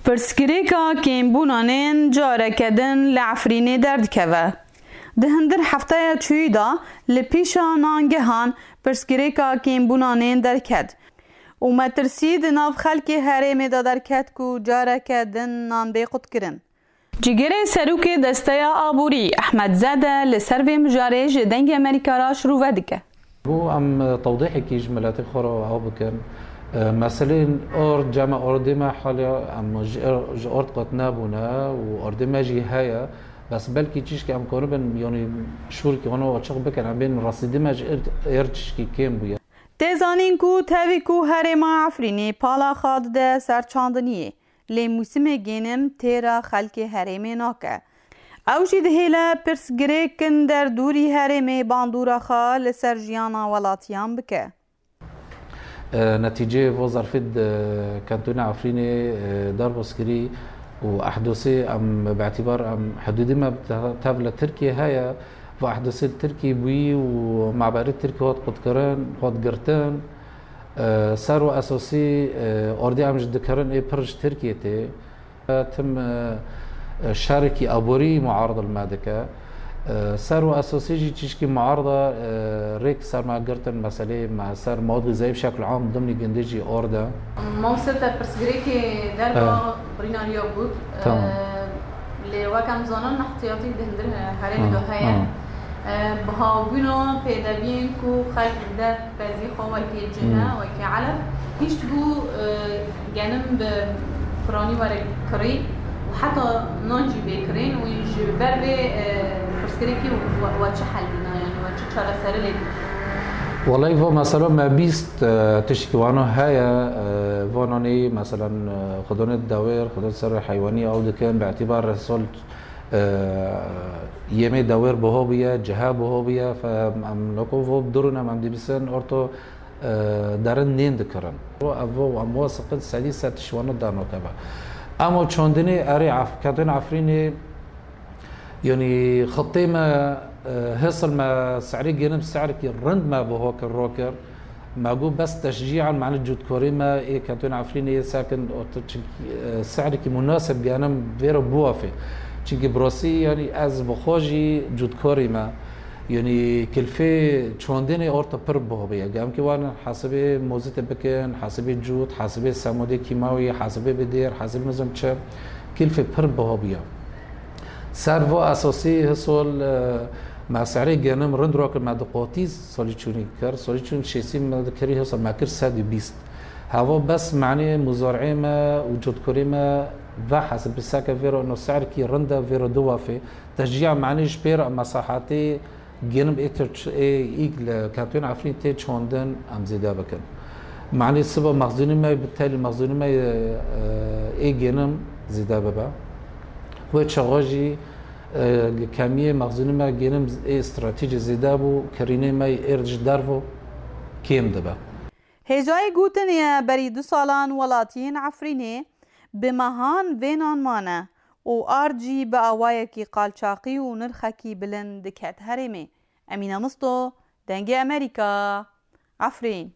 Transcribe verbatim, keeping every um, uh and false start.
Pirsgirêka kêmbûnanên careke din li Efrînê derdikeve. Di hundir hefteya çûyî de li pîşa nangehan pirsgirêka kêmbûnanên derket û metirsî di nav xelkê herêmê de derket ku careke din nan bê qutkirin. Cîgirê serokê Desteya Aborî Ehmed Zede li ser vê mijarê ji Dengê Amerîka re şirove dike. Bû em tewdîhekî ji miletê xwe re ew bikin. E, meselên ard, cem ardê me haliya em ji, ji ard qet nebûne û ardê me jî heye. Bes belkî çişkî em karibin, yanî şûrkî wana açiq bikin, em bên rastî dê me ji êr, êr çişkî kêm bûye. Tê zanîn ku tevî ku herêma Efrînê pala xwe dide ser çandiniyê, lê mûsimê gênim têra xelkê herêmê nake. Ew jî dihêle pirsgirêkin derdûrî herêmê bandora xwe li ser jiyana welatiyan bike. E, netîceyê vo zerfê di kentona Efrînê, e, derbas kirî û ehdosê em bi etîbar em hidûdê me te-, tev li Tirkiyê heye. Va ehdosê li Tirkiyê bûyî û maberê Tirkiyê hat qutkirin, hat girtin. E, ser û esasî, e, ardê em ji dikerin ê pir ji Tirkiyê tê. Tim, e, şerekî aborî muarid li me dike. E, ser û esasî jî çişkî muarida, e, rêk ser me girtin, meselê me ser mewad xîzayî bi şekl am dimnî gundê jî orde. Mawse te pirsgirêkê derba Evet. Birînariya got. Tamam. E, lê wek em zanin, nehtiyatî di hundir herêmê de heye. E, bihabûna pêdeviyên ku xelk dide pezî xwe wekî cine, Hı. wekî elef, hişt bû, e, genim bi piranî were kirî û heta nan jî bê kirîn û ji ber vê, e, pirsgirêkê we, we çi hel dîna, yanî we çi çareserî lê dîna? Welay va mesela me bîst, e, tişkî wano heye, e, vananî meselan, e, xwedonê dewêr, xwedon ser heywanî ew dikin, bi etîbar resol E, yemê dewêr biho bûye, cihe biho bûye, fe-, em, em noko vo bi durûn em, em dibîsin orto, e, derin nên dikirin. Vo, ev vo, em vo siqit sedî sed tişt wano danoke be. Em o çondinê erê Af-, Ketên Efrînê, yanî xitê me, e, hisil me, serê genim serkî rind me biho kir, ro kir. Me got bes teşcîan, mane cûdkorê me ê Ketên Efrînê yê sekin, o tu çi, e, sehrekî munasib genim vê re biwafê. Çimkî bi rastî, yanî ez bi xwe jî cûdkorê me, yanî kilfê çandinê orta pir biho bûye. Gemkî wan hesibê mozitê bikin, hesibê cûd, hesibê semodê kîmawî, hesibê bidêr, hesibê nizam çi, kilfê pir biho bûye. Ser va esasî hisol, e, me serê genim rind rakir me diqotîz salî çûnî kir. Salî çûn şêsî me dikirî hisol me kir sed û bîst. Heva bes manê muzarê me û cotkorê me ve hesib bi seke vêro ino serkî rind e vêro du wafê. Teşciya manê ji pêr mesahatê genim ê tir ç-, ê îg li Ketûn Efrîn tê çandin em zêde bikin. Manê siba mexzûnî me bi telî mexzûnî me, e, ê genim zêde bibe. Wê çaxa jî, e, kemiyê mexzûnî me genim ê stratejî zêde bû, kirînê me êr ji dervo kêm dibe. Hêjayî gotinê ye, berî du salan welatiyên Efrînê bi mehan vênan mane û ard jî bi awayekî qalçaqî û nirxekî bilind diket herêmê. Emîne Misto, Dengê Amerîka, Efrîn.